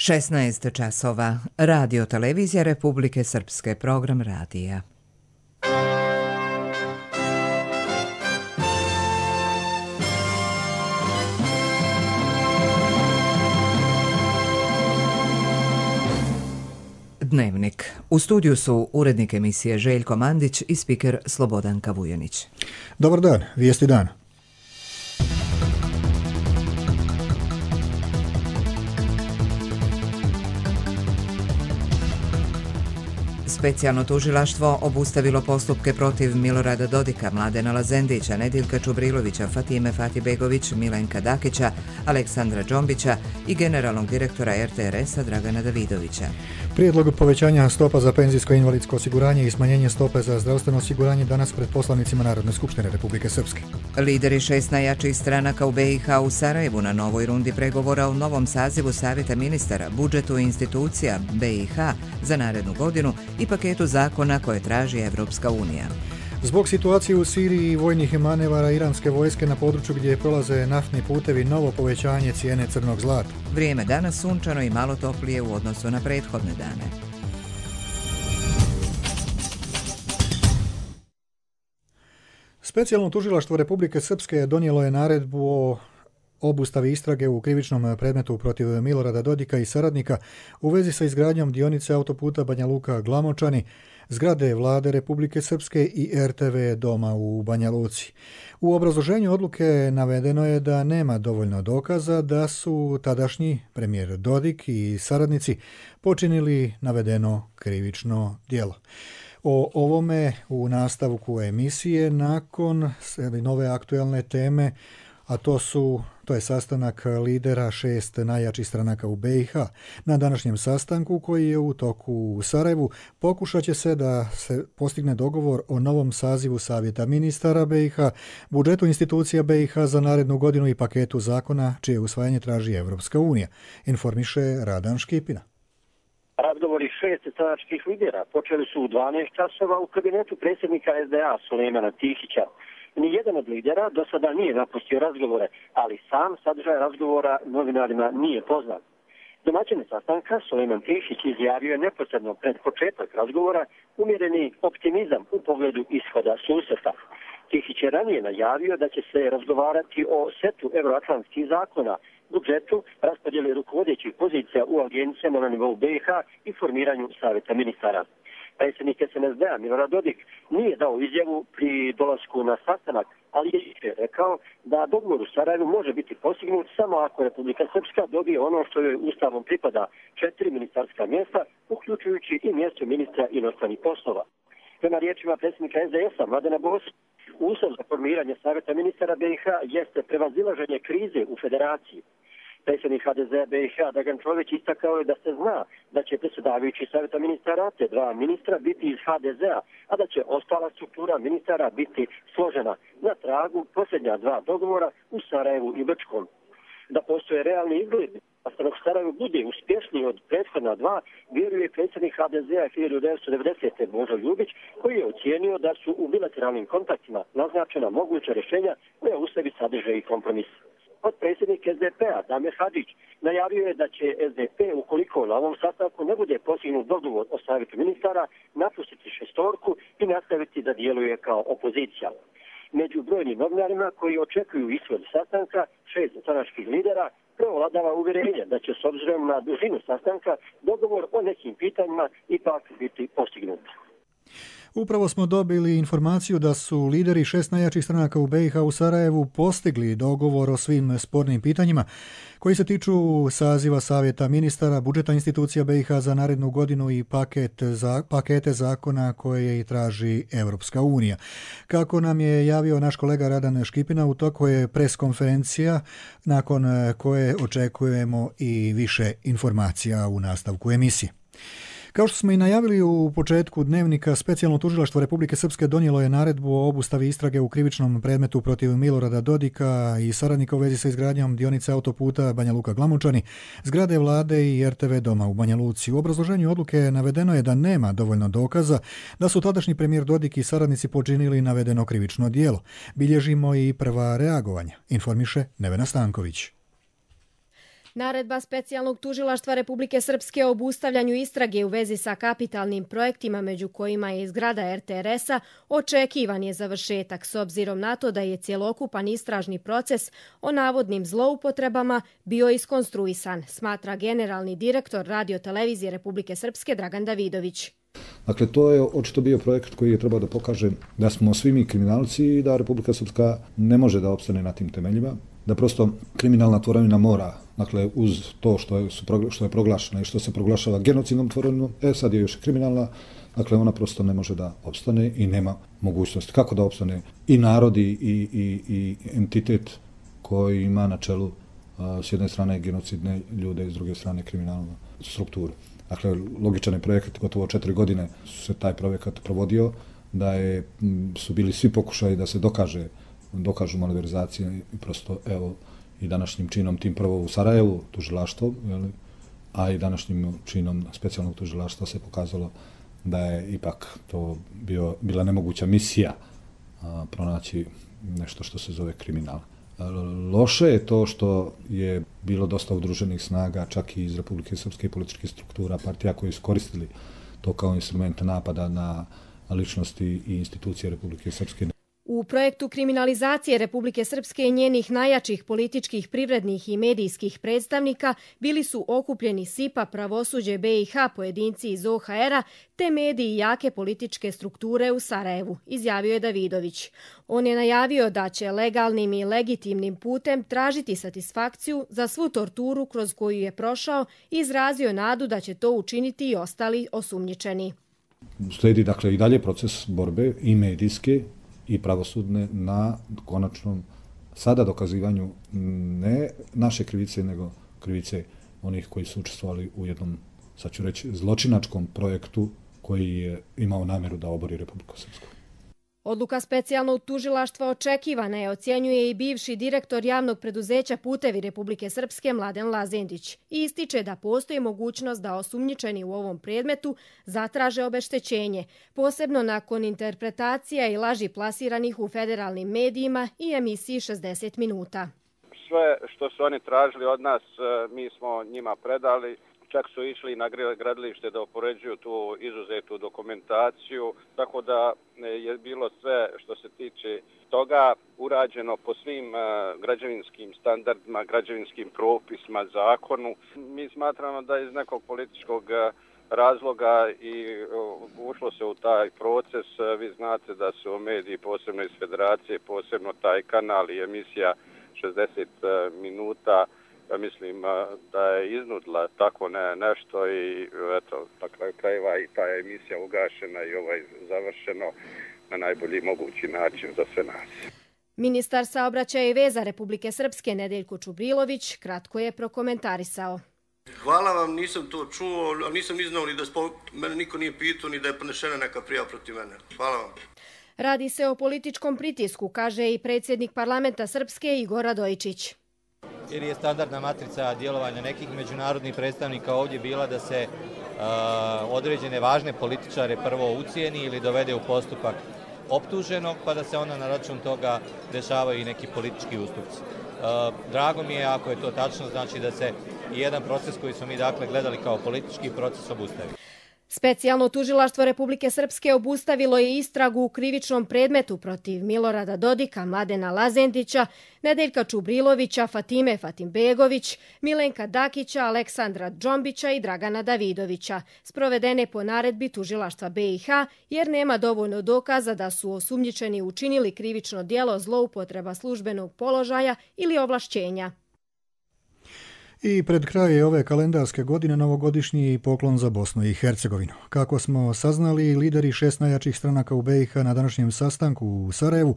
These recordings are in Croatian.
16 časova. Radio Televizija Republike Srpske, program radija. Dnevnik. U studiju su urednik emisije Željko Mandić i spiker Slobodanka Vujanić. Dobar dan, vijesti dana. Specijalno tužilaštvo obustavilo postupke protiv Milorada Dodika, Mladena Lazendića, Nedjeljka Čubrilovića, Fatime Fatibegović, Milenka Dakića, Aleksandra Džombića i generalnog direktora RTRS-a Dragana Davidovića. Prijedlog povećanja stopa za penzijsko i invalidsko osiguranje i smanjenje stope za zdravstveno osiguranje danas pred poslanicima Narodne skupštine Republike Srpske. Lideri 6 najjačih stranaka u BiH u Sarajevu na novoj rundi pregovora u novom sazivu Savjeta ministara, budžetu i institucija BiH za narednu godinu i paketu zakona koje traži Evropska unija. Zbog situacije u Siriji i vojnih manevara iranske vojske na području gdje prolaze naftni putevi, novo povećanje cijene crnog zlata. Vrijeme danas sunčano i malo toplije u odnosu na prethodne dane. Specijalno tužilaštvo Republike Srpske donijelo je naredbu o obustavi istrage u krivičnom predmetu protiv Milorada Dodika i saradnika u vezi sa izgradnjom dionice autoputa Banja Luka-Glamočani, zgrade Vlade Republike Srpske i RTV doma u Banja Luci. U obrazloženju odluke navedeno je da nema dovoljno dokaza da su tadašnji premijer Dodik i saradnici počinili navedeno krivično djelo. O ovome u nastavku emisije nakon nove aktualne teme, a to je sastanak lidera 6 najjačih stranaka u BiH. Na današnjem sastanku, koji je u toku u Sarajevu, pokušat će se da se postigne dogovor o novom sazivu Savjeta ministara BiH, budžetu institucija BiH za narednu godinu i paketu zakona čije usvajanje traži Evropska unija, informiše Radan Škipina. Razgovori 6 stranačkih lidera počeli su u 12 časova u kabinetu predsjednika SDA Sulejmana Tihića. Nijedan od lidera do sada nije napustio razgovore, ali sam sadržaj razgovora novinarima nije poznat. Domaćin sastanka Sulejman Tihić izjavio je neposredno pred početak razgovora umjereni optimizam u pogledu ishoda susreta. Tihić je ranije najavio da će se razgovarati o setu euroatlantskih zakona, budžetu, raspodjeli rukovodećih pozicija u agencijama na nivou BiH i formiranju savjeta ministara. Predsjednik SNSD-a Milorad Dodik nije dao izjavu pri dolasku na sastanak, ali je rekao da dogovor u Sarajevu može biti postignut samo ako Republika Srpska dobije ono što joj ustavom pripada, 4 ministarska mjesta, uključujući i mjesto ministra inostranih poslova. Prema riječima predsjednika SDS-a Mladena Bosa, uslov za formiranje savjeta ministara BiH jeste prevazilaženje krize u federaciji. Predsjednik HDZ BiH Dragan Čović istakao je da se zna da će predsjedavajući savjeta ministara te 2 ministra biti iz HDZ-a, a da će ostala struktura ministara biti složena na tragu posljednja 2 dogovora u Sarajevu i Brčkom. Da postoje realni izgledi, a stanovnik Sarajevu bude uspješniji od prethodna 2, vjeruje predsjednik HDZ-a 1990. Božo Ljubić, koji je ocijenio da su u bilateralnim kontaktima naznačena moguća rješenja koja u sebi sadrže i kompromis. Potpredsjednik SDP-a Damir Hadžić najavio je da će SDP, ukoliko na ovom sastanku ne bude postignut dogovor o savjetu ministara, napustiti šestorku i nastaviti da djeluje kao opozicija. Među brojnim novinarima koji očekuju ishod sastanka 6 stranačkih lidera prevladava uvjerenje da će s obzirom na dužinu sastanka dogovor o nekim pitanjima ipak biti postignut. Upravo smo dobili informaciju da su lideri 6 najjačih stranaka u BiH u Sarajevu postigli dogovor o svim spornim pitanjima koji se tiču saziva Savjeta ministara, budžeta institucija BiH za narednu godinu i pakete zakona koje i traži Evropska unija. Kako nam je javio naš kolega Radan Škipina, u toku je preskonferencija nakon koje očekujemo i više informacija u nastavku emisije. Kao što smo i najavili u početku dnevnika, Specijalno tužilaštvo Republike Srpske donijelo je naredbu o obustavi istrage u krivičnom predmetu protiv Milorada Dodika i saradnika u vezi sa izgradnjom dionice autoputa Banja Luka-Glamočani, zgrade Vlade i RTV doma u Banja Luci. U obrazloženju odluke navedeno je da nema dovoljno dokaza da su tadašnji premijer Dodik i saradnici počinili navedeno krivično djelo. Bilježimo i prva reagovanja, informiše Nevena Stanković. Naredba specijalnog tužilaštva Republike Srpske o obustavljanju istrage u vezi sa kapitalnim projektima, među kojima je zgrada RTRS-a, očekivan je završetak s obzirom na to da je cjelokupan istražni proces o navodnim zloupotrebama bio iskonstruisan, smatra generalni direktor Radio-televizije Republike Srpske Dragan Davidović. Dakle, to je očito bio projekt koji je trebao da pokaže da smo svi mi kriminalci i da Republika Srpska ne može da opstane na tim temeljima, da prosto kriminalna tvorevina mora, dakle, uz to što je proglašena i što se proglašava genocidnom tvorevinom, sad je još kriminalna, dakle, ona prosto ne može da opstane i nema mogućnosti. Kako da opstane i narodi i entitet koji ima na čelu s jedne strane genocidne ljude i s druge strane kriminalnu strukturu. Dakle, logičan je projekat, gotovo 4 godine se taj projekat provodio, da su bili svi pokušaji da se dokažu malverzacije i prosto, evo, i današnjim činom tim prvo u Sarajevu, tužilaštvo, a i današnjim činom specijalnog tužilaštva se pokazalo da je ipak to bila nemoguća misija pronaći nešto što se zove kriminal. Loše je to što je bilo dosta udruženih snaga, čak i iz Republike Srpske političkih struktura, partija koji su koristili to kao instrument napada na ličnosti i institucije Republike Srpske. U projektu kriminalizacije Republike Srpske i njenih najjačih političkih, privrednih i medijskih predstavnika bili su okupljeni SIPA, pravosuđe BiH, pojedinci iz OHR-a te mediji jake političke strukture u Sarajevu, izjavio je Davidović. On je najavio da će legalnim i legitimnim putem tražiti satisfakciju za svu torturu kroz koju je prošao i izrazio nadu da će to učiniti i ostali osumnjičeni. Slijedi, dakle, i dalje proces borbe i medijske i pravosudne na konačnom sada dokazivanju ne naše krivice, nego krivice onih koji su učestvovali u jednom, sad ću reći, zločinačkom projektu koji je imao namjeru da obori Republiku Srpsku. Odluka specijalnog tužilaštva očekivana je, ocjenjuje i bivši direktor javnog preduzeća Putevi Republike Srpske Mladen Lazendić i ističe da postoji mogućnost da osumnjičeni u ovom predmetu zatraže obeštećenje, posebno nakon interpretacija i laži plasiranih u federalnim medijima i emisiji 60 minuta. Sve što su oni tražili od nas, mi smo njima predali. Čak su išli na gradilište da upoređuju tu izuzetu dokumentaciju, tako da je bilo sve što se tiče toga urađeno po svim građevinskim standardima, građevinskim propisima, zakonu. Mi smatramo da iz nekog političkog razloga i ušlo se u taj proces. Vi znate da su mediji, posebno iz Federacije, posebno taj kanal i emisija 60 minuta, mislim da je iznudila tako nešto i eto, na kraju krajeva i ta emisija ugašena i završeno na najbolji mogući način za sve nas. Ministar saobraćaja i veza Republike Srpske Nedeljko Čubrilović kratko je prokomentarisao. Hvala vam, nisam to čuo, ali nisam ni znao ni da mene niko nije pitao ni da je podnešena neka prijava protiv mene. Hvala vam. Radi se o političkom pritisku, kaže i predsjednik parlamenta Srpske Igor Radojičić. Jer je standardna matrica djelovanja nekih međunarodnih predstavnika ovdje bila da se određene važne političare prvo ucijeni ili dovede u postupak optuženog, pa da se onda na račun toga dešavaju i neki politički ustupci. Drago mi je ako je to tačno, znači da se jedan proces koji smo mi dakle gledali kao politički proces obustavi. Specijalno tužilaštvo Republike Srpske obustavilo je istragu u krivičnom predmetu protiv Milorada Dodika, Mladena Lazendića, Nedeljka Čubrilovića, Fatime Fatimbegović, Milenka Dakića, Aleksandra Džombića i Dragana Davidovića, sprovedene po naredbi tužilaštva BiH, jer nema dovoljno dokaza da su osumnjičeni učinili krivično djelo zloupotreba službenog položaja ili ovlašćenja. I pred kraj ove kalendarske godine novogodišnji poklon za Bosnu i Hercegovinu. Kako smo saznali, lideri 6 najjačih stranaka u BiH na današnjem sastanku u Sarajevu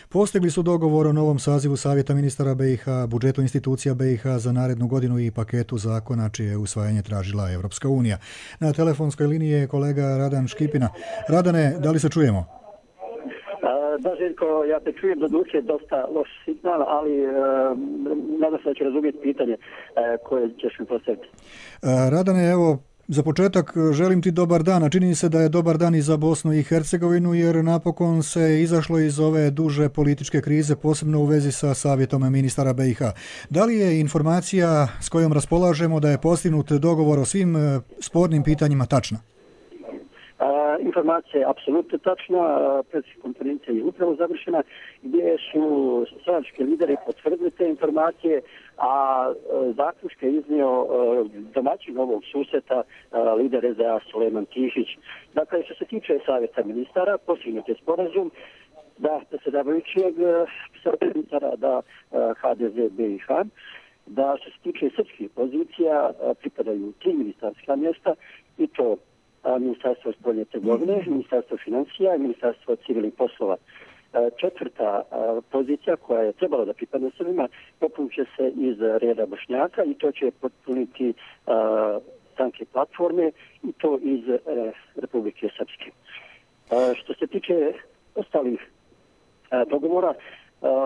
postigli su dogovor o novom sazivu Savjeta ministara BiH, budžetu institucija BiH za narednu godinu i paketu zakona čije usvajanje tražila Evropska unija. Na telefonskoj liniji je kolega Radan Škipina. Radane, da li se čujemo? Da, Željko, ja te čujem, doduše dosta loš signal, ali nadam se da ću razumjeti pitanje koje ćeš mi postaviti. Radane, evo, Za početak želim ti dobar dan, a čini se da je dobar dan i za Bosnu i Hercegovinu, jer napokon se izašlo iz ove duže političke krize, posebno u vezi sa savjetom ministara BiH. Da li je informacija s kojom raspolažemo da je postignut dogovor o svim spornim pitanjima tačna? Informacija je apsolutno tačna, predsjednička konferencija je upravo završena, gdje su stranački lideri potvrdili te informacije, a zaključke je iznio domaćin ovog susreta lider SDA Sulejman Tihić. Dakle, što se tiče savjeta ministara, postignut je sporazum da predsjedavajućeg ministara, da HDZ BiH, da što se tiče srpskih pozicija pripadaju 3 ministarska mjesta, i to Ministarstvo spoljne trgovine, Ministarstvo financija i Ministarstvo civilnih poslova. Četvrta pozicija koja je trebala da pripadne Srbima popunit će se iz reda Bošnjaka, i to će potpuniti stranke platforme, i to iz Republike Srpske. Što se tiče ostalih dogovora,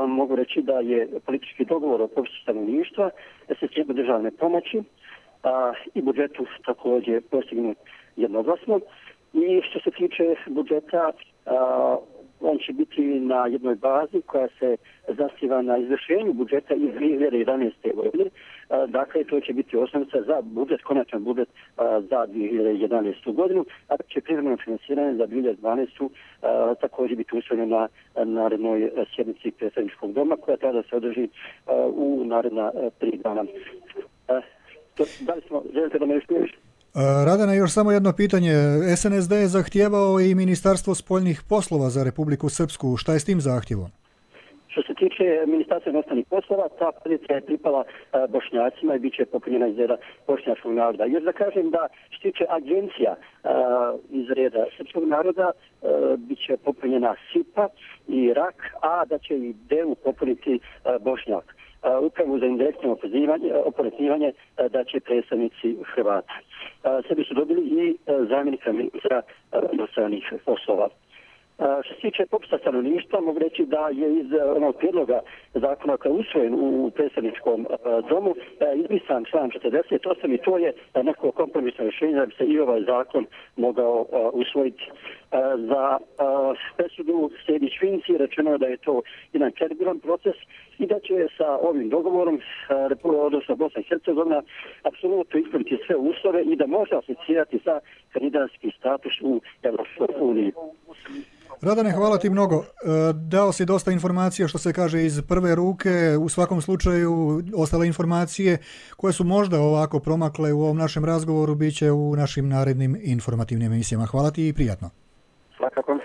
mogu reći da je politički dogovor o popisu stanovništva, sistemu državne pomoći i budžetu također postignut jednoglasno. I što se tiče budžeta, on će biti na jednoj bazi koja se zasniva na izvršenju budžeta iz 2011. godine. Dakle, to će biti osnovica za budžet, konačan budžet za 2011. godinu, a će privremeno finansiranje za 2012. Također biti usvojeno na narednoj sjednici predsjedničkog doma, koja treba da se održi u naredna 3 dana. Da li smo, želite da me još priješ? Radana, još samo jedno pitanje. SNSD je zahtijevao i Ministarstvo spoljnih poslova za Republiku Srpsku. Šta je s tim zahtjevom? Što se tiče Ministarstva inostranih poslova, ta pozicija je pripala Bošnjacima i bit će popunjena iz reda bošnjačkog naroda. Još da kažem da što se tiče agencija iz reda srpskog naroda, bit će popunjena SIPA i RAK, a da će i DEU popuniti Bošnjak. Upravo za indirektno oporezivanje da će predstavnici Hrvata. Sebi su dobili i zamjenika ministra inostranih poslova. Što se tiče popisa stanovništva, mogu reći da je iz onog prijedloga zakona koji je usvojen u predstavničkom domu izbrisan član 48, i to je neko kompromisno rješenje da bi se i ovaj zakon mogao usvojiti. Za presudu Sejdić Finci rečeno je da je to jedan kredibilan proces i da će sa ovim dogovorom odnosno Bosna i Hercegovina apsolutno ispuniti sve uslove i da može aplicirati za kandidatski status u Evropskoj uniji. Radane, hvala ti mnogo. Dao si dosta informacija, što se kaže, iz prve ruke. U svakom slučaju ostale informacije koje su možda ovako promakle u ovom našem razgovoru bit će u našim narednim informativnim emisijama. Hvala ti i prijatno. Svakako.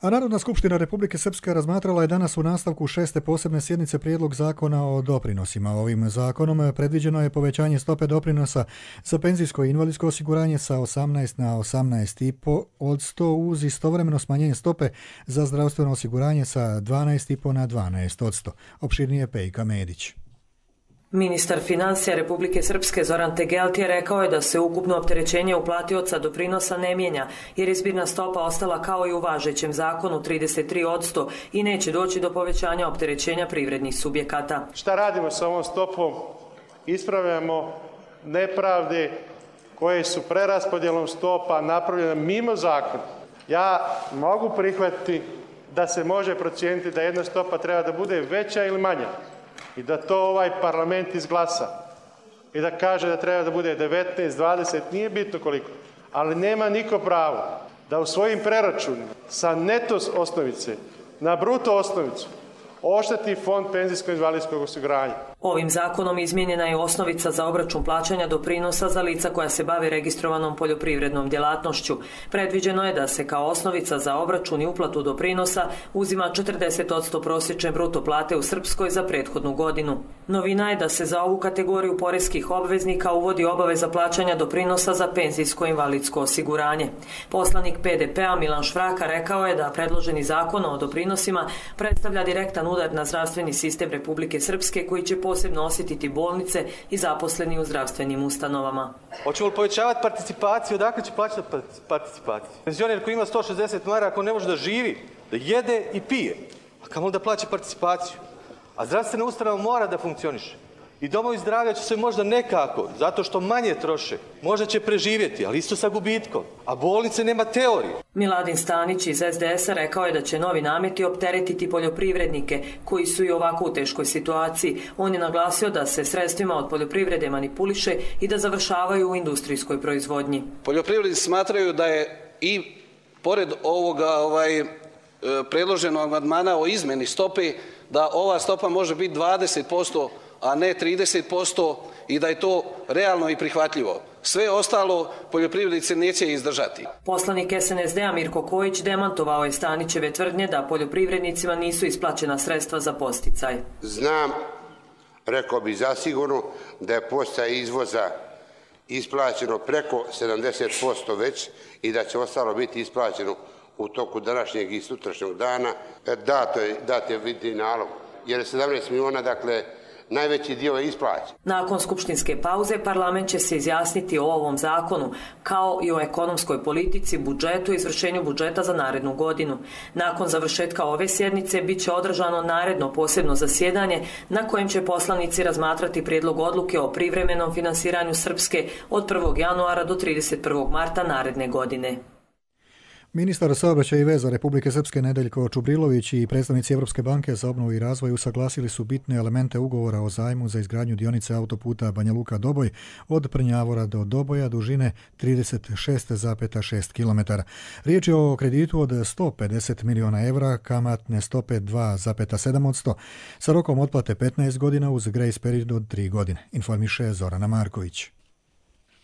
A Narodna skupština Republike Srpske razmatrala je danas u nastavku 6. posebne sjednice prijedlog zakona o doprinosima. Ovim zakonom predviđeno je povećanje stope doprinosa za penzijsko i invalidsko osiguranje sa 18 na 18,5% uz istovremeno smanjenje stope za zdravstveno osiguranje sa 12,5 na 12%. Opširnije Pejka Medić. Ministar financija Republike Srpske Zoran Tegeltije rekao je da se ukupno opterećenje uplatioca doprinosa ne mijenja, jer je zbirna stopa ostala kao i u važećem zakonu 33% i neće doći do povećanja opterećenja privrednih subjekata. Šta radimo sa ovom stopom? Ispravljamo nepravde koje su preraspodjelom stopa napravljene mimo zakona. Ja mogu prihvatiti da se može procijeniti da jedna stopa treba da bude veća ili manja, i da to ovaj parlament izglasa i da kaže da treba da bude 19, 20, nije bitno koliko, ali nema niko pravo da u svojim preračunima sa neto osnovice na bruto osnovicu ošteti fond penzijsko-invalidskog osiguranja. Ovim zakonom izmijenjena je osnovica za obračun plaćanja doprinosa za lica koja se bave registrovanom poljoprivrednom djelatnošću. Predviđeno je da se kao osnovica za obračun i uplatu doprinosa uzima 40% prosječne bruto plate u Srpskoj za prethodnu godinu. Novina je da se za ovu kategoriju poreskih obveznika uvodi obaveza plaćanja doprinosa za penzijsko-invalidsko osiguranje. Poslanik PDP-a Milan Švraka rekao je da predloženi zakon o doprinosima predstavlja direktan udar na zdravstveni sistem Republike Srpske koji će posebno osjetiti bolnice i zaposleni u zdravstvenim ustanovama. Hoćemo li povećavati participaciju? Odakle će plaćati participaciju? Penzioner koji ima 160 maraka, ako ne može da živi, da jede i pije, a kamoli da plaća participaciju. A zdravstvena ustanova mora da funkcioniše. I domovi zdravlja će se možda nekako, zato što manje troše, možda će preživjeti, ali isto sa gubitkom. A bolnice nema teorije. Miladin Stanić iz SDS-a rekao je da će novi nameti opteretiti poljoprivrednike koji su i ovako u teškoj situaciji. On je naglasio da se sredstvima od poljoprivrede manipuliše i da završavaju u industrijskoj proizvodnji. Poljoprivrednici smatraju da je i pored ovoga predloženog amandmana o izmjeni stope, da ova stopa može biti 20%, a ne 30% i da je to realno i prihvatljivo. Sve ostalo poljoprivrednici neće izdržati. Poslanik SNSD-a Mirko Kojić demantovao je Stanićeve tvrdnje da poljoprivrednicima nisu isplaćena sredstva za podsticaj. Znam, rekao bi zasigurno, da je podsticaj izvoza isplaćeno preko 70% već i da će ostalo biti isplaćeno u toku današnjeg i sutrašnjeg dana. Dat je vidni nalog, jer je 17 miliona, dakle, najveći dio je isplaćen. Nakon skupštinske pauze parlament će se izjasniti o ovom zakonu, kao i o ekonomskoj politici, budžetu i izvršenju budžeta za narednu godinu. Nakon završetka ove sjednice bit će održano naredno posebno zasjedanje na kojem će poslanici razmatrati prijedlog odluke o privremenom finansiranju Srpske od 1. januara do 31. marta naredne godine. Ministar saobraćaja i veza Republike Srpske Nedeljko Čubrilović i predstavnici Evropske banke za obnovu i razvoj usaglasili su bitne elemente ugovora o zajmu za izgradnju dionice autoputa Banja Luka-Doboj od Prnjavora do Doboja dužine 36,6 km. Riječ je o kreditu od 150 miliona evra, kamatne stope 2,7% sa rokom otplate 15 godina uz grace period od 3 godine, informiše Zorana Marković.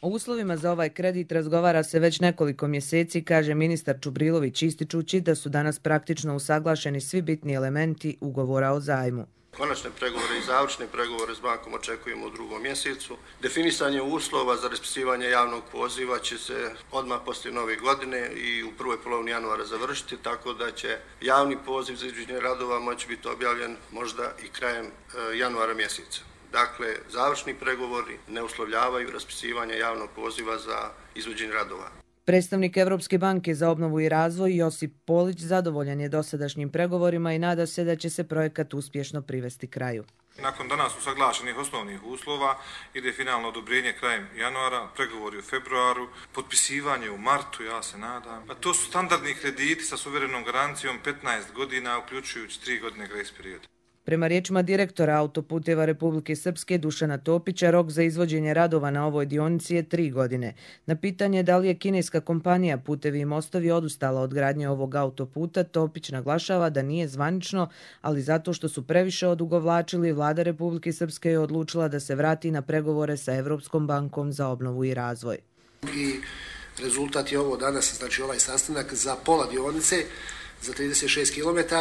O uslovima za ovaj kredit razgovara se već nekoliko mjeseci, kaže ministar Čubrilović, ističući da su danas praktično usaglašeni svi bitni elementi ugovora o zajmu. Konačne pregovore i završne pregovore s bankom očekujemo u 2. mjesecu. Definisanje uslova za raspisivanje javnog poziva će se odmah poslije nove godine i u prvoj polovini januara završiti, tako da će javni poziv za izvođenje radova moći biti objavljen možda i krajem januara mjeseca. Dakle, završni pregovori ne uslovljavaju raspisivanje javnog poziva za izvođenje radova. Predstavnik Evropske banke za obnovu i razvoj Josip Polić zadovoljan je dosadašnjim pregovorima i nada se da će se projekat uspješno privesti kraju. Nakon danas usaglašenih osnovnih uslova ide finalno odobrenje krajem januara, pregovori u februaru, potpisivanje u martu, ja se nadam. A to su standardni krediti sa suverenom garancijom 15 godina, uključujući 3 godine grace perioda. Prema riječima direktora Autoputeva Republike Srpske Dušana Topića, rok za izvođenje radova na ovoj dionici je 3 godine. Na pitanje da li je kineska kompanija Putevi i mostovi odustala od gradnje ovog autoputa, Topić naglašava da nije zvanično, ali zato što su previše odugovlačili, vlada Republike Srpske je odlučila da se vrati na pregovore sa Evropskom bankom za obnovu i razvoj. I rezultat je ovo danas, znači ovaj sastanak za pola dionice, za 36 km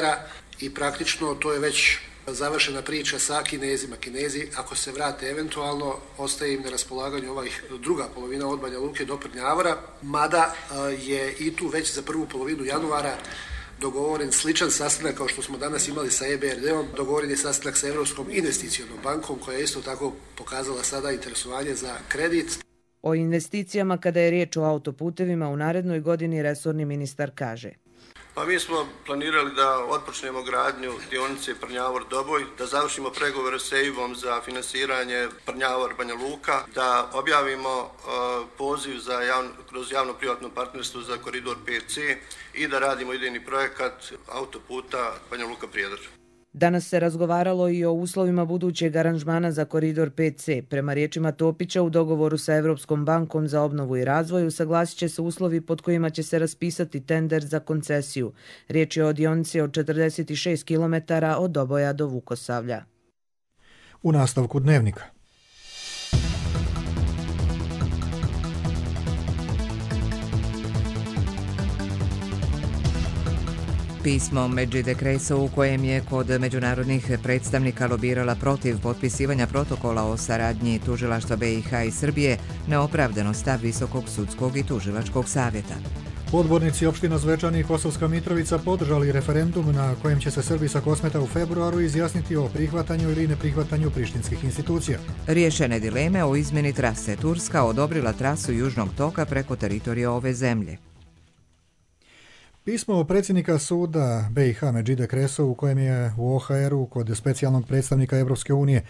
i praktično to je već završena priča sa Kinezima. Kinezi, ako se vrate eventualno, ostaje im na raspolaganju druga polovina od Banja Luke do Prnjavora, mada je i tu već za prvu polovinu januara dogovoren sličan sastanak kao što smo danas imali sa EBRD-om, dogovoren je sastanak sa Evropskom investicionom bankom koja je isto tako pokazala sada interesovanje za kredit. O investicijama kada je riječ o autoputevima u narednoj godini resorni ministar kaže: Pa mi smo planirali da otpočnemo gradnju dionice Prnjavor-Doboj, da završimo pregovore s EIB-om za finansiranje Prnjavor-Banja Luka, da objavimo poziv kroz javno-privatno partnerstvo za koridor 5C i da radimo idejni projekat autoputa Banja Luka-Prijedor. Danas se razgovaralo i o uslovima budućeg aranžmana za koridor 5C. Prema riječima Topića, u dogovoru sa Evropskom bankom za obnovu i razvoj usaglasit će se uslovi pod kojima će se raspisati tender za koncesiju. Riječ je o dionici od 46 km od Doboja do Vukosavlja. U nastavku dnevnika. Pismo Medžide Kreso u kojem je kod međunarodnih predstavnika lobirala protiv potpisivanja protokola o saradnji tužilaštva BiH i Srbije neopravdano stav Visokog sudskog i tužilačkog savjeta. Odbornici opština Zvečani i Kosovska Mitrovica podržali referendum na kojem će se Srbi sa Kosmeta u februaru izjasniti o prihvatanju ili neprihvatanju prištinskih institucija. Riješene dileme o izmjeni trase. Turska odobrila trasu Južnog toka preko teritorija ove zemlje. Pismo predsjednika suda BiH Medžide Kreso u kojem je u OHR-u kod specijalnog predstavnika Evropske unije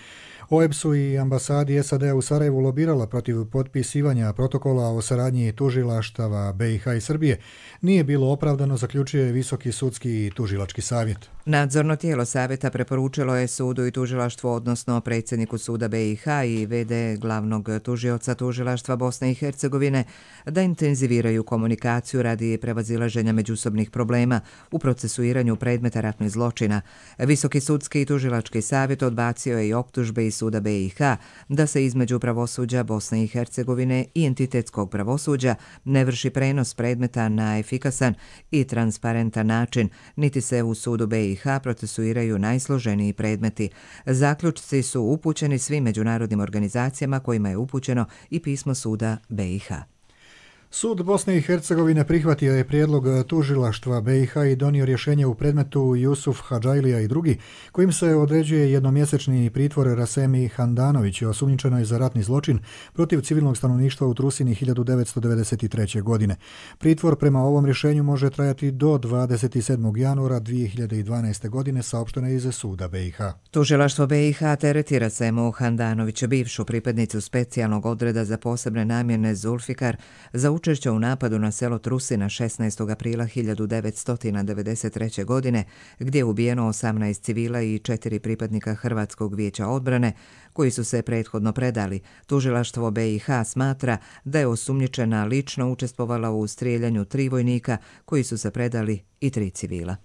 OEBS-u i ambasadi SAD-a u Sarajevu lobirala protiv potpisivanja protokola o saradnji tužilaštava BiH i Srbije nije bilo opravdano, zaključuje Visoki sudski i tužilački savjet. Nadzorno tijelo savjeta preporučilo je sudu i tužilaštvu, odnosno predsjedniku suda BiH i VD glavnog tužioca tužilaštva Bosne i Hercegovine, da intenziviraju komunikaciju radi prevazilaženja međusobnih problema u procesuiranju predmeta ratnih zločina. Visoki sudski i tužilački savjet odbacio je i optužbe iz suda BiH da se između pravosuđa Bosne i Hercegovine i entitetskog pravosuđa ne vrši prenos predmeta na efikasan i transparentan način, niti se u sudu BiH procesuiraju najsloženiji predmeti. Zaključci su upućeni svim međunarodnim organizacijama kojima je upućeno i pismo suda BiH. Sud Bosne i Hercegovine prihvatio je prijedlog tužilaštva BiH i donio rješenje u predmetu Jusuf Hadžajlija i drugi, kojim se određuje jednomjesečni pritvor Rasemi Handanović, osumnjičenoj za ratni zločin protiv civilnog stanovništva u Trusini 1993. godine. Pritvor prema ovom rješenju može trajati do 27. januara 2012. godine, saopšteno je iz suda BiH. Tužilaštvo BiH tereti Rasemu Handanovića, bivšu pripadnicu specijalnog odreda za posebne namjene Zulfikar, za učešće u napadu na selo Trusina 16. aprila 1993. godine, gdje je ubijeno 18 civila i 4 pripadnika Hrvatskog vijeća odbrane, koji su se prethodno predali. Tužilaštvo BiH smatra da je osumnjičena lično učestvovala u strijeljanju 3 vojnika koji su se predali i 3 civila.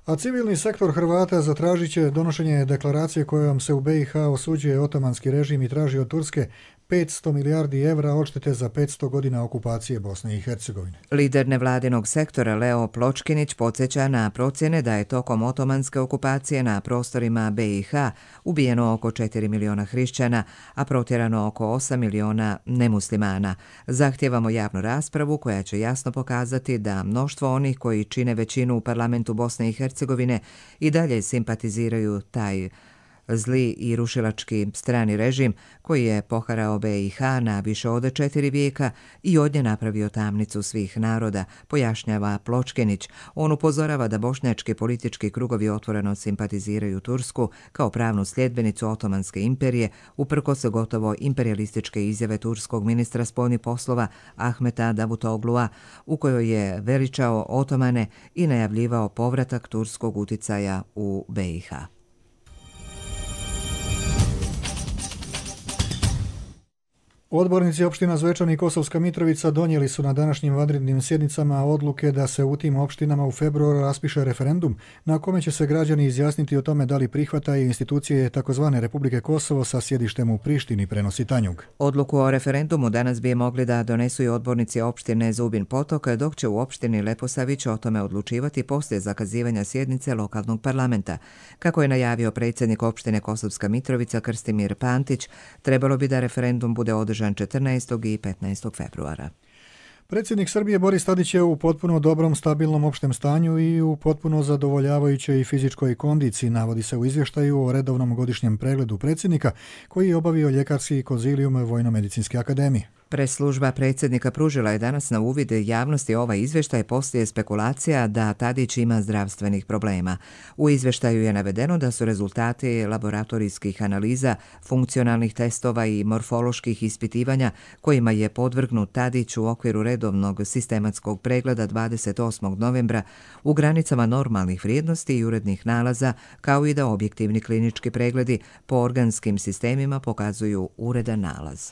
A civilni sektor Hrvata zatražit će donošenje deklaracije kojom se u BiH osuđuje otomanski režim i traži od Turske 500 milijardi evra odštete za 500 godina okupacije Bosne i Hercegovine. Lider nevladinog sektora Leo Pločkinić podsjeća na procjene da je tokom otomanske okupacije na prostorima BiH ubijeno oko 4 miliona hrišćana, a protjerano oko 8 miliona nemuslimana. Zahtijevamo javnu raspravu koja će jasno pokazati da mnoštvo onih koji čine većinu u parlamentu Bosne i Hercegovine i dalje simpatiziraju taj zli i rušilački strani režim koji je poharao BiH na više od 4 vijeka i od nje napravio tamnicu svih naroda, pojašnjava Pločkinić. On upozorava da bošnjački politički krugovi otvoreno simpatiziraju Tursku kao pravnu sljedbenicu Otomanske imperije, uprkos gotovo imperialističke izjave turskog ministra spoljnih poslova Ahmeta Davutoglua, u kojoj je veličao Otomane i najavljivao povratak turskog uticaja u BiH. Odbornici opština Zvečan i Kosovska Mitrovica donijeli su na današnjim vanrednim sjednicama odluke da se u tim opštinama u februaru raspiše referendum na kome će se građani izjasniti o tome da li prihvataju institucije takozvane Republike Kosovo sa sjedištem u Prištini, prenosi Tanjug. Odluku o referendumu danas bi mogli da donesu i odbornici opštine Zubin Potok, dok će u opštini Leposavić o tome odlučivati poslije zakazivanja sjednice lokalnog parlamenta. Kako je najavio predsjednik opštine Kosovska Mitrovica Krstimir Pantić, trebalo bi da referendum bude održan 14. i 15. februara. Predsjednik Srbije Boris Tadić je u potpuno dobrom, stabilnom opštem stanju i u potpuno zadovoljavajućoj fizičkoj kondiciji, navodi se u izvještaju o redovnom godišnjem pregledu predsjednika koji je obavio ljekarski konzilijum Vojno-medicinske akademije. Preslužba predsjednika pružila je danas na uvid javnosti ovaj izvještaj poslije spekulacija da Tadić ima zdravstvenih problema. U izvještaju je navedeno da su rezultati laboratorijskih analiza, funkcionalnih testova i morfoloških ispitivanja kojima je podvrgnut Tadić u okviru redovnog sistematskog pregleda 28. novembra u granicama normalnih vrijednosti i urednih nalaza, kao i da objektivni klinički pregledi po organskim sistemima pokazuju uredan nalaz.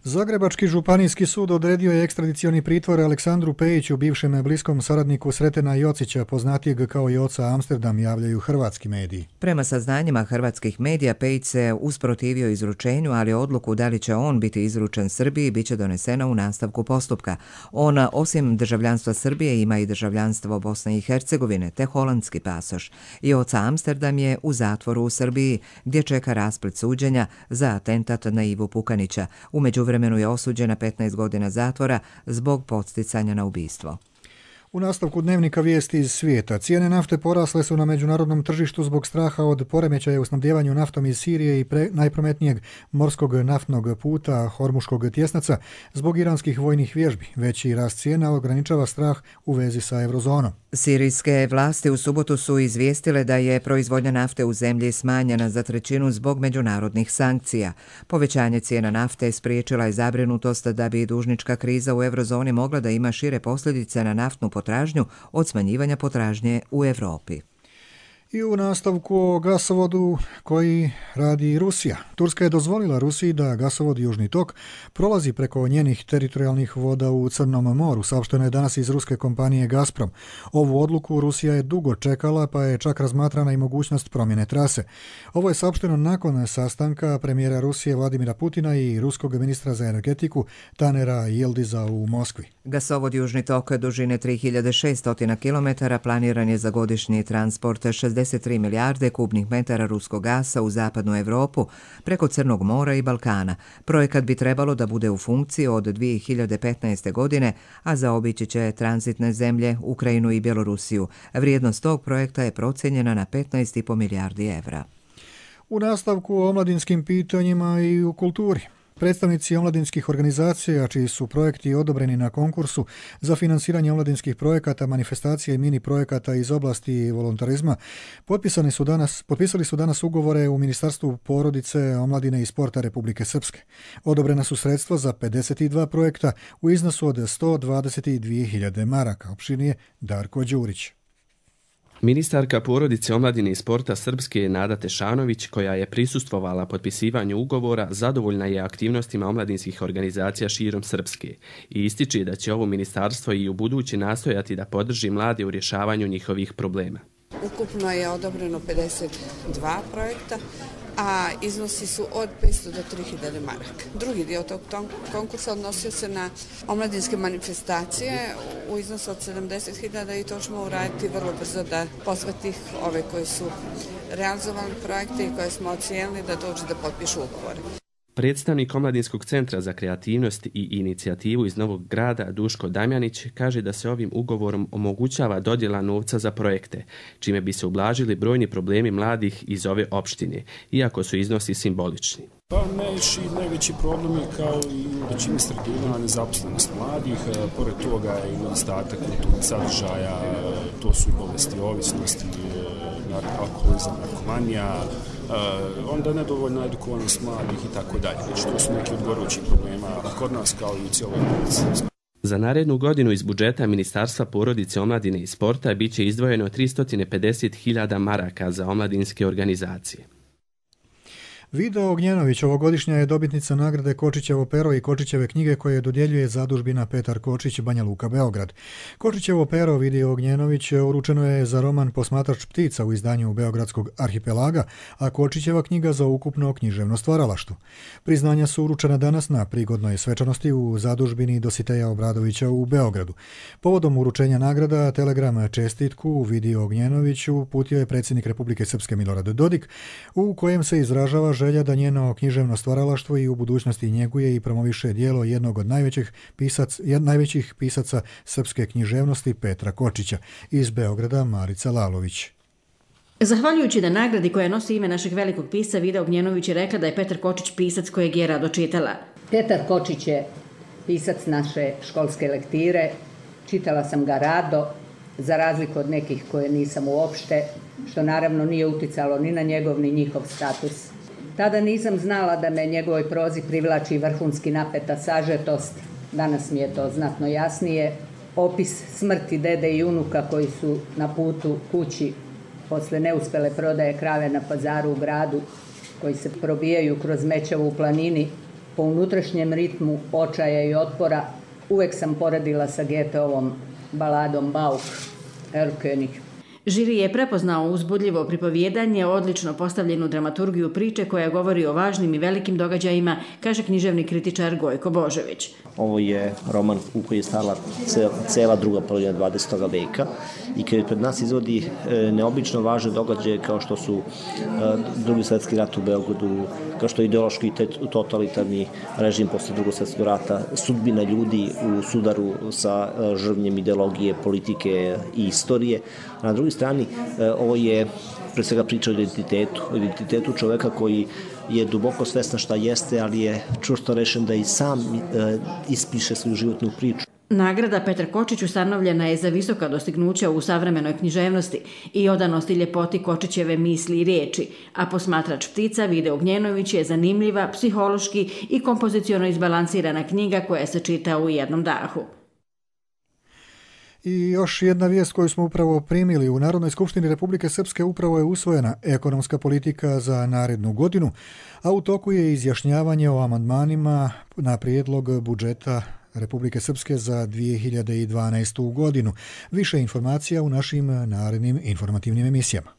Zagrebački županijski sud odredio je ekstradicioni pritvor Aleksandru Pejiću, bivšem bliskom saradniku Sretena Jocića, poznatijeg kao Joca Amsterdam, javljaju hrvatski mediji. Prema saznanjima hrvatskih medija, Pejić se usprotivio izručenju, ali odluku da li će on biti izručen Srbiji biće donesena u nastavku postupka. On, osim državljanstva Srbije, ima i državljanstvo Bosne i Hercegovine, te holandski pasoš. Joca Amsterdam je u zatvoru u Srbiji, gdje čeka rasplet suđenja za atentat na Ivu Pukanića. U međuvremenu je osuđen na 15 godina zatvora zbog podsticanja na ubistvo. U nastavku dnevnika vijesti iz svijeta, cijene nafte porasle su na međunarodnom tržištu zbog straha od poremećaja u snabdjevanju naftom iz Sirije i najprometnijeg morskog naftnog puta Hormuškog tjesnaca zbog iranskih vojnih vježbi. Veći rast cijena ograničava strah u vezi sa eurozonom. Sirijske vlasti u subotu su izvijestile da je proizvodnja nafte u zemlji smanjena za trećinu zbog međunarodnih sankcija. Povećanje cijena nafte spriječila je zabrinutost da bi dužnička kriza u eurozoni mogla da ima šire posljedice na naftnu potražnju od smanjivanja potražnje u Europi. I u nastavku o gasovodu koji radi Rusija. Turska je dozvolila Rusiji da gasovod Južni tok prolazi preko njenih teritorijalnih voda u Crnom moru, saopšteno je danas iz ruske kompanije Gazprom. Ovu odluku Rusija je dugo čekala, pa je čak razmatrana i mogućnost promjene trase. Ovo je saopšteno nakon sastanka premijera Rusije Vladimira Putina i ruskog ministra za energetiku Tanera Yildiza u Moskvi. Gasovod Južni tok dužine 3600 km planiran je za godišnji transport 63 milijarde kubnih metara ruskog gasa u zapadnu Europu preko Crnog mora i Balkana. Projekat bi trebalo da bude u funkciji od 2015. godine, a zaobići će tranzitne zemlje Ukrajinu i Bjelorusiju. Vrijednost tog projekta je procijenjena na 15,5 milijardi evra. U nastavku o omladinskim pitanjima i u kulturi. Predstavnici omladinskih organizacija, čiji su projekti odobreni na konkursu za finansiranje omladinskih projekata, manifestacija i mini projekata iz oblasti volontarizma, potpisali su danas ugovore u Ministarstvu porodice, omladine i sporta Republike Srpske. Odobrena su sredstva za 52 projekta u iznosu od 122.000 maraka. Opširnije Darko Đurić. Ministarka porodice, omladine i sporta Srpske Nada Tešanović, koja je prisustvovala potpisivanju ugovora, zadovoljna je aktivnostima omladinskih organizacija širom Srpske i ističe da će ovo ministarstvo i u budući nastojati da podrži mlade u rješavanju njihovih problema. Ukupno je odobreno 52 projekta, a iznosi su od 500 do 3000 maraka. Drugi dio tog konkursa odnosio se na omladinske manifestacije u iznosu od 70.000 i to ćemo uraditi vrlo brzo da posvetih ove koji su realizovali projekte i koje smo ocijenili da dođu da potpišu ugovore. Predstavnik Omladinskog centra za kreativnost i inicijativu iz Novog Grada Duško Damjanić kaže da se ovim ugovorom omogućava dodjela novca za projekte, čime bi se ublažili brojni problemi mladih iz ove opštine, iako su iznosi simbolični. Pa najveći problem je kao i u većini sredina nezaposlenost mladih, pored toga je i nedostatak kulturnih sadržaja, to su bolesti ovisnosti, alkoholizam, narkomanija, onda nedovoljna edukovanost mladih i tako dalje. Znači, to su neki od gorućih problema kod nas kao i u cijeloj Republici. Za narednu godinu iz budžeta Ministarstva porodice, omladine i sporta biće izdvojeno 350.000 maraka za omladinske organizacije. Vida Ognjenović ovogodišnja je dobitnica nagrade Kočićevo pero i Kočićeve knjige koje dodjeljuje zadužbina Petar Kočić, Banja Luka, Beograd. Kočićevo pero Vidi Ognjenović uručeno je za roman Posmatrač ptica u izdanju Beogradskog arhipelaga, a Kočićeva knjiga za ukupno književno stvaralaštvo. Priznanja su uručena danas na prigodnoj svečanosti u zadužbini Dositeja Obradovića u Beogradu. Povodom uručenja nagrada telegram čestitku Vidi Ognjenoviću uputio je predsjednik Republike Srpske Milorad Dodik, u kojem se izražava želja da njeno književno stvaralaštvo i u budućnosti njeguje i promoviše djelo jednog od najvećih pisaca srpske književnosti Petra Kočića. Iz Beograda Marica Lalović. Zahvaljujući na nagradi koja nosi ime našeg velikog pisca, Vida Ognjenović je rekla da je Petar Kočić pisac kojeg je rado čitala. Petar Kočić je pisac naše školske lektire, čitala sam ga rado, za razliku od nekih koje nisam uopšte, što naravno nije uticalo ni na njegov ni njihov status. Tada nisam znala da me njegovoj prozi privlači vrhunski napeta sažetost, danas mi je to znatno jasnije, opis smrti dede i unuka koji su na putu kući posle neuspele prodaje krave na pazaru u gradu, koji se probijaju kroz Mećavu u planini, po unutrašnjem ritmu očaja i otpora, uvek sam poredila sa Goetheovom baladom Bauk, Erlkönig. Žiri je prepoznao uzbudljivo pripovjedanje, odlično postavljenu dramaturgiju priče koja govori o važnim i velikim događajima, kaže književni kritičar Gojko Božović. Ovo je roman u koji je stala cela druga polovina 20. veka i koji pred nas izvodi neobično važne događaje kao što su Drugi svjetski rat u Beogradu, kao što je ideološki i totalitarni režim posle Drugog svjetskog rata, sudbina ljudi u sudaru sa žrvnjem ideologije, politike i istorije. Na drugoj strani, ovo je pre svega priča o identitetu čoveka koji je duboko svestan šta jeste, ali je čvrsto rešen da i sam ispiše svoju životnu priču. Nagrada Petar Kočić ustanovljena je za visoka dostignuća u savremenoj književnosti i odanost i ljepoti Kočićeve misli i riječi, a posmatrač ptica Vide Ognjenović je zanimljiva, psihološki i kompoziciono izbalansirana knjiga koja se čita u jednom dahu. I još jedna vijest koju smo upravo primili. U Narodnoj skupštini Republike Srpske upravo je usvojena ekonomska politika za narednu godinu, a u toku je izjašnjavanje o amandmanima na prijedlog budžeta Republike Srpske za 2012. godinu. Više informacija u našim narednim informativnim emisijama.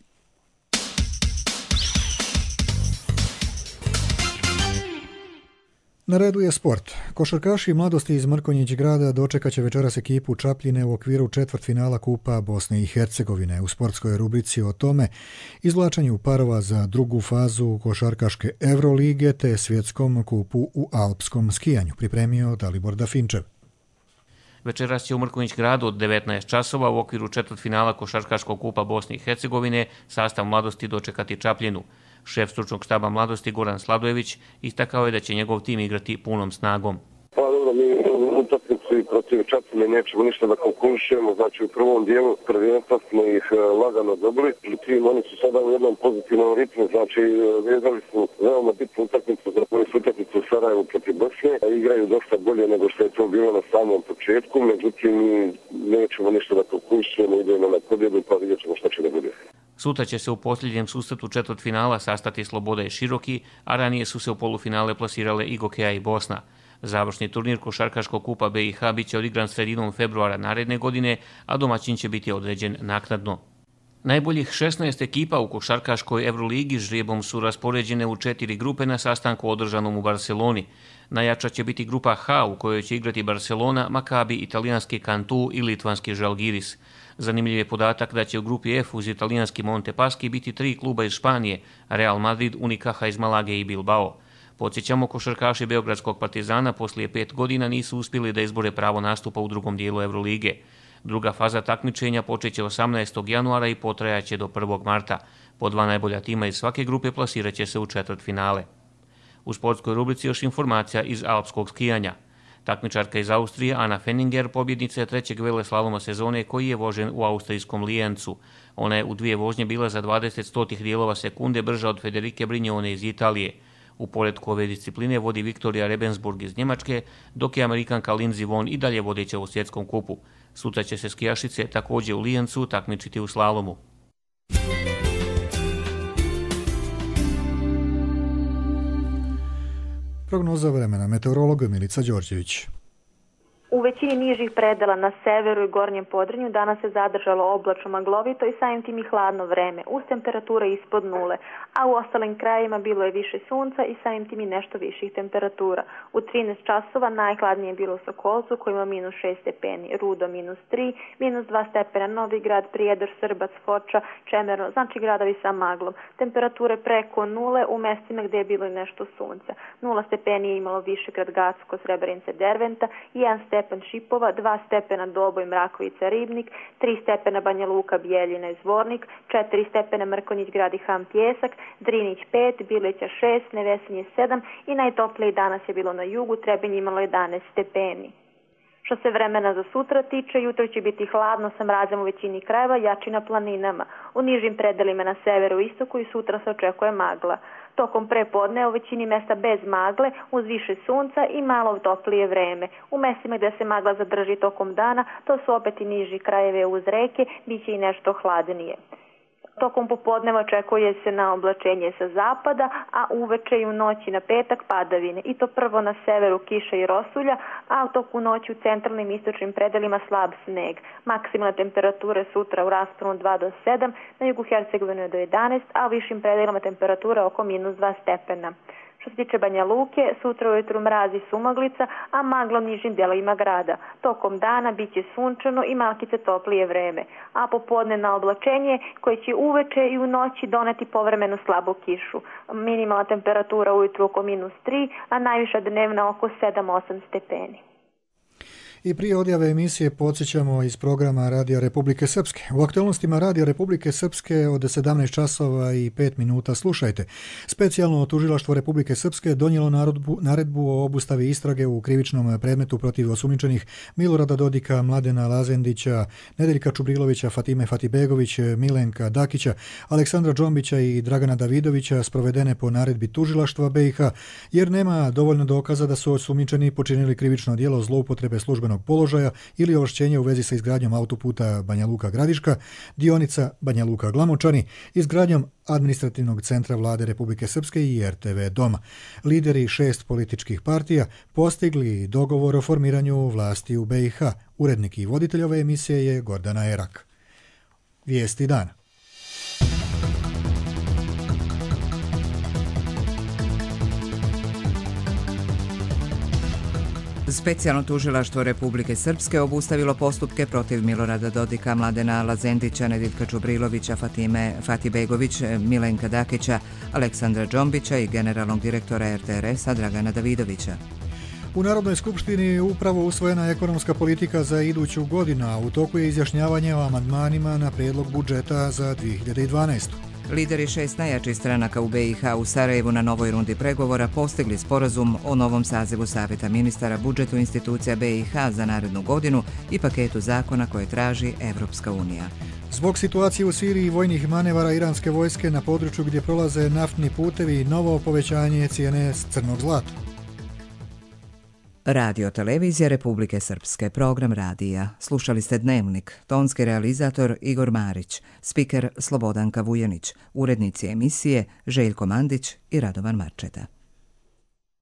Na redu je sport. Košarkaši mladosti iz Mrkonjić grada dočekat će večeras ekipu Čapljine u okviru četvrtfinala Kupa Bosne i Hercegovine. U sportskoj rubrici o tome izvlačenju parova za drugu fazu košarkaške Evrolige te svjetskom kupu u alpskom skijanju pripremio Dalibor Dafinčev. Večeras će u Mrkonjić gradu od 19 časova u okviru četvrtfinala košarkaškog kupa Bosne i Hercegovine sastav mladosti dočekati Čapljinu. Šef stručnog štaba mladosti Goran Sladojević istakao je da će njegov tim igrati punom snagom. Pa dobro, mi utakmicu i protiv Čapljine nećemo ništa da konkurišemo, znači u prvom dijelu prvenstva smo ih lagano dobili, međutim oni su sada u jednom pozitivnom ritmu, znači vezali su veoma bitnu utakmicu za koju su utakmicu u Sarajevu protiv Bosne, a igraju dosta bolje nego što je to bilo na samom početku, međutim mi nećemo ništa da konkurišemo, idemo na pobjedu pa vidjet ćemo šta će da bude. Sutra će se u posljednjem susretu četvrtfinala sastati Sloboda i Široki, a ranije su se u polufinale plasirale i Gokeja i Bosna. Završni turnir košarkaškog kupa BiH bit će odigran sredinom februara naredne godine, a domaćin će biti određen naknadno. Najboljih 16 ekipa u košarkaškoj Evroligi žrijebom su raspoređene u 4 grupe na sastanku održanom u Barceloni. Najjača će biti grupa H u kojoj će igrati Barcelona, Maccabi, italijanski Cantu i litvanski Žalgiris. Zanimljiv je podatak da će u grupi F uz italijanski Montepaschi biti 3 kluba iz Španije, Real Madrid, Unicaja iz Malage i Bilbao. Podsjećamo, košarkaši Beogradskog Partizana poslije 5 godina nisu uspjeli da izbore pravo nastupa u drugom dijelu Evrolige. Druga faza takmičenja počeće 18. januara i potrajaće do 1. marta. Po 2 najbolja tima iz svake grupe plasirat će se u četvrtfinale. U sportskoj rubrici još informacija iz alpskog skijanja. Takmičarka iz Austrije Ana Fenninger pobjednica je 3. veleslaloma sezone koji je vožen u austrijskom Lijencu. Ona je u 2 vožnje bila za 20 dijelova sekunde brža od Federike Brignone iz Italije. U poretku ove discipline vodi Viktorija Rebensburg iz Njemačke, dok je Amerikanka Lindsey Vonn i dalje vodeća u svjetskom kupu. Sutra će se skijašice također u Lijencu takmičiti u slalomu. Prognoza vremena, meteorolog Milica Đorđević. U većini nižih predela na severu i gornjem Podrinju danas se zadržalo oblačno maglovito i samim tim i hladno vreme, uz temperature ispod nule, a u ostalim krajevima bilo je više sunca i samim tim i nešto viših temperatura. U 13 časova najhladnije je bilo u Sokolcu koji ima -6 stepeni, Rudo -3, -2 stepena Novi Grad, Prijedor, Srbac, Foča, Čemerno, znači gradovi sa maglom. Temperature preko nule u mestima gdje je bilo i nešto sunca. 0 stepeni je imalo Višegrad, Gacko, Srebrenice, Derventa, 1 stepen Šipova, 2 stepena Doboj, Mrakovica, Ribnik, 3 stepena Banja Luka, Bijeljina i Zvornik, 4 stepena Mrkonjić Grad i Ham Pjesak, Drinić 5, Bileća 6, Nevesinje 7 i najtoplije danas je bilo na jugu, Trebinje imalo 11 stepeni. Što se vremena za sutra tiče, jutro će biti hladno sa mrazom u većini krajeva, jači na planinama. U nižim predelima na severu i istoku i sutra se očekuje magla. Tokom prepodne u većini mesta bez magle, uz više sunca i malo toplije vreme. U mestima gdje se magla zadrži tokom dana, to su opet i niži krajeve uz reke, bit će i nešto hladnije. Tokom popodneva očekuje se na oblačenje sa zapada, a uveče i u noći na petak padavine. I to prvo na severu kiša i rosulja, a u toku noći u centralnim i istočnim predelima slab sneg. Maksimalne temperature sutra u rasponu 2 do 7, na jugu Hercegovine do 11, a u višim predelima temperatura oko -2 stepena. Što se tiče Banja Luke, sutra ujutru mrazi sumaglica, a magla u nižim delovima grada. Tokom dana bit će sunčano i malkice toplije vreme, a popodne na oblačenje koje će uveče i u noći doneti povremenu slabu kišu. Minimalna temperatura ujutru oko -3, a najviša dnevna oko 7-8 stepeni. I prije odjave emisije podsjećamo iz programa Radija Republike Srpske. U aktualnostima Radija Republike Srpske od 17 časova i 5 minuta slušajte. Specijalno tužilaštvo Republike Srpske donijelo naredbu o obustavi istrage u krivičnom predmetu protiv osumnjičenih Milorada Dodika, Mladena Lazendića, Nedeljka Čubrilovića, Fatime Fatibegović, Milenka Dakića, Aleksandra Džombića i Dragana Davidovića sprovedene po naredbi tužilaštva BiH, jer nema dovoljno dokaza da su osumnjičeni počinili krivično djelo zloupotrebe službenog položaja ili ovlašćenja u vezi sa izgradnjom autoputa Banja Luka-Gradiška, dionica Banja Luka-Glamočani, izgradnjom administrativnog centra Vlade Republike Srpske i RTV Doma. Lideri 6 političkih partija postigli dogovor o formiranju vlasti u BiH. Urednik i voditelj ove emisije je Gordana Erak. Vijesti dana. Specijalno tužilaštvo Republike Srpske obustavilo postupke protiv Milorada Dodika, Mladena Lazendića, Nedeljka Čubrilovića, Fatime Fatibegović, Milenka Dakića, Aleksandra Džombića i generalnog direktora RTRS-a Dragana Davidovića. U Narodnoj skupštini upravo usvojena ekonomska politika za iduću godinu, a u toku je izjašnjavanje o amandmanima na prijedlog budžeta za 2012. Lideri 6 najjačih stranaka u BiH u Sarajevu na novoj rundi pregovora postigli sporazum o novom sazivu Savjeta ministara, budžetu institucija BiH za narednu godinu i paketu zakona koje traži Evropska unija. Zbog situacije u Siriji i vojnih manevara iranske vojske na području gdje prolaze naftni putevi i novo povećanje cijene crnog zlata. Radio televizija Republike Srpske, program radija. Slušali ste Dnevnik, tonski realizator Igor Marić, spiker Slobodanka Vujanić, urednici emisije Željko Mandić i Radovan Marčeta.